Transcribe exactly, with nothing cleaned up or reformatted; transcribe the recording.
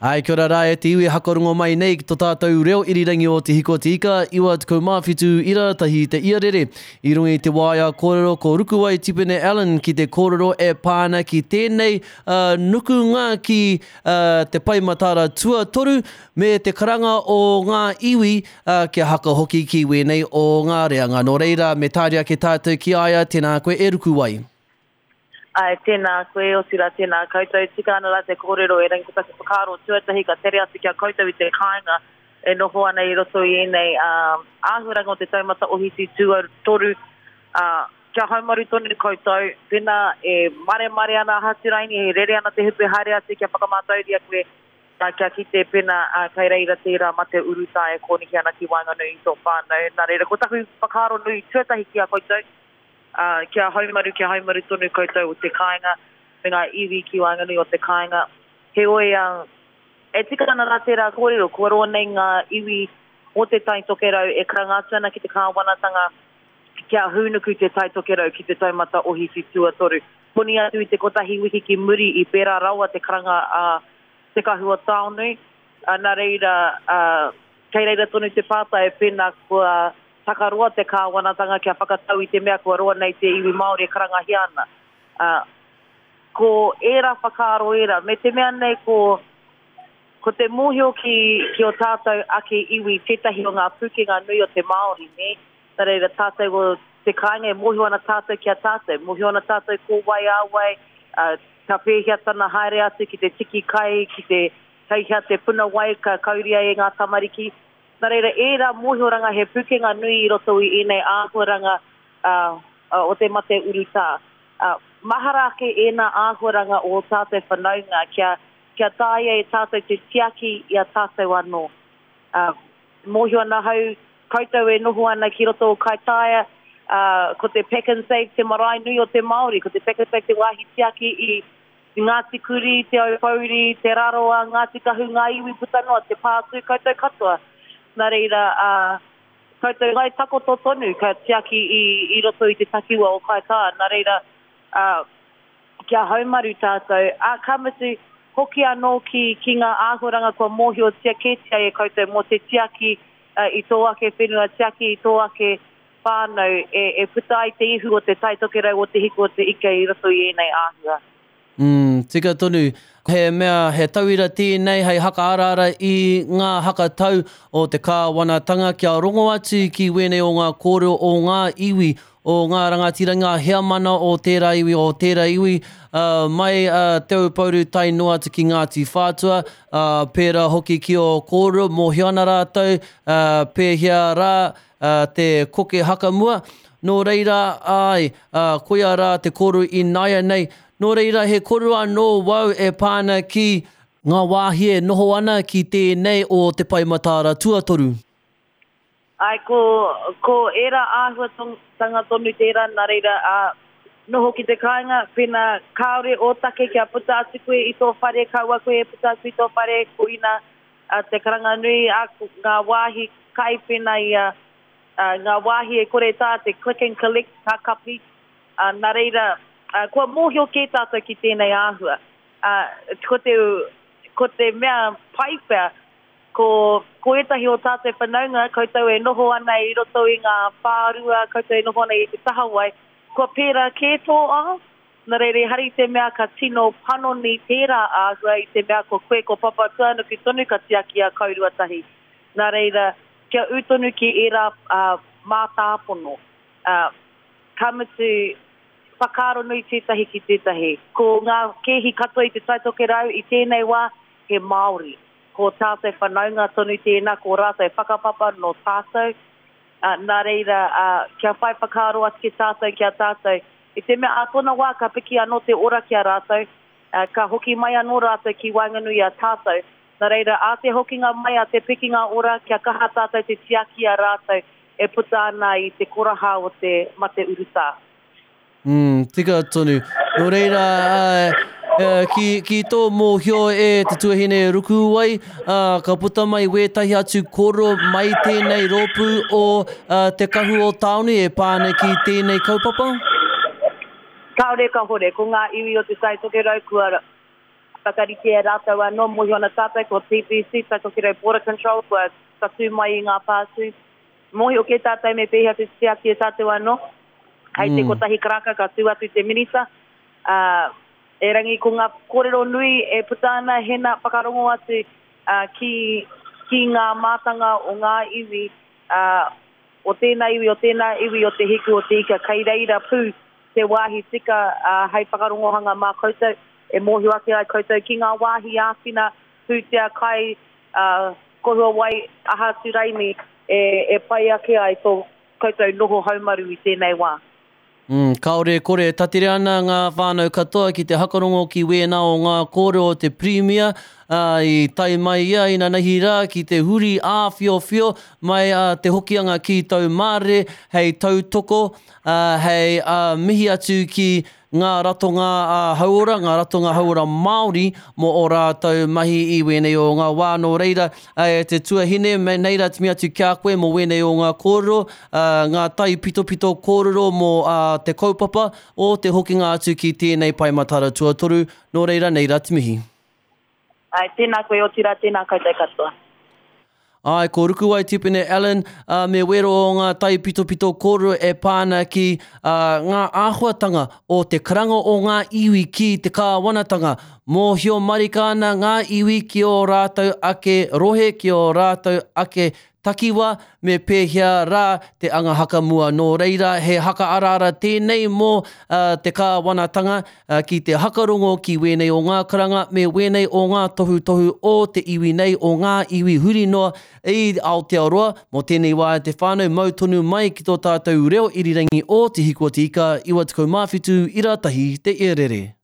Ai, kia ora rā e te iwi hakarongo mai nei ki to tātou reo irirangi o Te Hiku o Te Ika, iwa tekau mā whitu ira tahi te iarere. I runga i te waea kōrero ko Rukuwai Tipene Allen ki te kōrero e pā ana ki tēnei uh, nukunga ki uh, te pae mataara tuatoru me te karanga o ngā iwi uh, kia haka hoki ki wēnei o ngā reanga. Nō reira, me tāria ake tātou ki a ia, tēnā koe e Rukuwai. Ai, tēnā koe, otirā tēnā koutou. Tika ana rā te kōrero e rangi ko taku whakaaro tuatahi ka tere atu ki a koutou i te kāinga e noho ana i roto i ēnei um, āhuaranga o te taumata ohiti tuatoru. Uh, kia haumaru tonu koutou, pēnā e maremare ana Haturaini, e rere ana te hupe haere atu kia whakamātauria koe, uh, kia kite pēnā uh, kei reira tērā mate urutā e kōnihi ana ki waenganui i tō whānau. Nā reira, ko taku whakaaro nui tuatahi ki a koutou, Uh, kia haumaru, kia haumaru tonu koutou o te kāinga, me ngā iwi ki waenganui o te kāinga. Heoi, uh, e tika ana rā tērā kōrero, kua roa nei ngā iwi o te Tai Tokerau e karanga atu ana ki te kāwanatanga kia hūnuku te Tai Tokerau ki te taumata ohiti tuatoru. Koni atu i te kotahi wiki ki muri i pērā rawa te karanga a uh, Te Kahu o Taonui. Uh, nā reira, uh, kei reira tonu te pātai pēnā kua takaroa te kāwanatanga kia whakatau i te mea kua roa nei te iwi Māori e karangahia ana. Uh, ko ērā whakaaro ērā, me te mea nei ko, ko te mōhio ki, ki o tātou ake iwi tētahi o ngā pūkenga nui o te Māori, ne? Nā reira tātou o te kāinga e mōhio ana tātou ki a tātou, mōhio ana tātou ko wai a wai, uh, ka pēhea tana haere atu ki te tiki kai, ki te kei hea te puna wai ka kauria e ngā tamariki. Nā reira, ērā mōhioranga he pūkenga nui i roto i ēnei āhuaranga uh, uh, o te mate urutā. Uh, mahara ake ēnā āhuaranga o tātou whanaunga kia, kia taea e tātou te tiaki i a tātou anō. Uh, mōhio ana hau, koutou e noho ana ki roto o Kaitaia, uh, ko te Pack and Save te marae nui o te Māori, ko te Pack and Save te wāhi tiaki i Ngāti Kuri, Te Aupōuri, Te Rarawa, Ngāti Kahu, ngā iwi puta noa, te pātū koutou katoa. Nā reira, uh, koutou ngai takoto tonu ka tiaki i, i roto i te takiwa o Kaitaia. Nā reira, uh, kia haumaru tātou. A, ka mutu, hoki anō ki, ki ngā āhuaranga kua mōhiotia kētia e koutou mō te tiaki uh, i tō ake whenua, tiaki i tō ake whānau e, e puta ai te ihu o te Tai Tokerau o Te Hiku o Te Ika i roto i ēnei āhua. Mm, tika tonu. He mea, he tauira tēnei hei hakaaraara i ngā hakatau o te kāwanatanga kia rongo atu ki wēnei o ngā kōrero o ngā iwi, o ngā rangatira, ngā heamana o tērā iwi, o tērā iwi, uh, mai uh, Te Aupōuri tae noa atu ki Ngāti Whātua, uh, pērā hoki ki o kōrero, mōhio ana rātou, uh, pēhea rā uh, te koke hakamua. Nō reira, ai, uh, koia rā te kōrero i naia nei. Nō reira, he kōrero anō wau e pāna ki ngā wāhi e noho ana ki tēnei o te pae mataara tuatoru. Ai, ko, ko ērā āhuatanga tonu tērā, nā reira, uh, noho ki te kāinga, pēnā kāore o take kia puta atu koe i tō whare, kaua koe e puta atu i tō whare, ko ina uh, te karanga nui, uh, ngā wāhi kai pēnā i uh, uh, ngā wāhi e kore tā te click and collect ka kapi. Uh, nā reira, uh, kua mōhio kē tātou ki tēnei āhua. Uh, ko te, ko te mea pai pea, ko, ko ētahi o tātou whanaunga, koutou e noho ana i roto i ngā whārua, koutou e noho ana i te tahawai, kua pērā kē tō ao. Nā reira, hari te mea ka tino panoni tērā āhua i te mea ko koe ko Papatūānuku tonu ka tiaki a kaurua tahi. Nā reira, kia ū tonu ki ērā uh, mātāpono. Uh, ka mutu, whakaaro nui tētahi ki tētahi. Ko ngā kēhi katoa i te Tai Tokerau i tēnei wā, he Māori. Ko tātou whanaunga tonu tēnā, ko rātou whakapapa no tātou. Uh, nā reira, uh, kia whai whakaaro atu ki tātou ki a tātou. I te mea a tōna wā ka piki anō te ora ki a rātou, uh, ka hoki mai anō rātou ki waenganui a tātou. Nā reira, a te hokinga mai, a te pikinga ora, kia kaha tātou te tiaki a rātou e puta ana i te koraha o te mate urutā. Mm, tika tonu. Nō reira, uh, uh, ki, ki tō mōhio e te tuahine Rukuwai, uh, ka puta mai wētahi atu kōrero mai tēnei rōpū o uh, Te Kahu o Taonui e pāna ki tēnei kaupapa? Kāore ka hore, ko ngā iwi o te Tai Tokerau kua Whakarite e rātou anō, mōhio ana tātou ko T B C, Tai Tokerau Border Control, kua tatū mai i ngā pātū. Mōhio ke tātou me pēhea te tiaki e tātou anō. Hei te mm. kotahi karaka ka tū atu te minita. Uh, erangi ko ngā kōrero nui e puta ana hena whakarongo atu uh, ki, ki ngā mātanga o ngā iwi, uh, o tēnā iwi, o tēnā iwi, o te hiku, o te ika, kei reira pū te wāhi tika uh, hei whakarongohanga mā koutou, e mōhio ake ai koutou ki ngā wāhi āwhina, pūtea kai, uh, kohua wai, aha atu raini, e, e pai ake ai tō koutou noho haumaru i tēnei wā. Mm, kaore kore tatire ana ngā whānau katoa ki te hakarongo ki wēnā o ngā kōrero o te Pirimia, uh, i tai mai ia i nanahi rā ki te huri āwhiowhio mai uh, te hokianga ki Taumārere hei tautoko, uh, hei uh, mihi atu ki ngā ratonga uh, hauora, ngā ratonga hauora Māori mō o rātou mahi i wēnei o ngā wā. Nō reira, uh, te tuahine, me nei rā timi atu kia koe mō wēnei o ngā kōrero, uh, ngā tai pitopito kōrero mō uh, te kaupapa o te hokinga atu ki tēnei pae matara tuatoru. Nō reira, nei rā timihi. Ai, tēnā koe, otirā, tēnā koutou katoa. Ai, ko Rukuwai Tipene Allen, uh, me wero o ngā tai pitopito kōrero e pāna ki uh, ngā āhuatanga o te karanga o ngā iwi ki te kāwanatanga. Mōhio marika ana ngā iwi ki o rātou ake rohe, ki o rātou ake takiwa, me pēhea rā te anga haka mua. Nō reira, he haka araara tēnei mō uh, te kāwanatanga uh, ki te hakarongo ki wēnei o ngā karanga, me wēnei o ngā tohutohu o te iwi nei, o ngā iwi huri noa i Aotearoa. Mō tēnei wā te whānau mau tonu mai ki tō tātou reo irirangi o Te Hiku o Te Ika, iwa tekau mā whitu, ira tahi te ierere.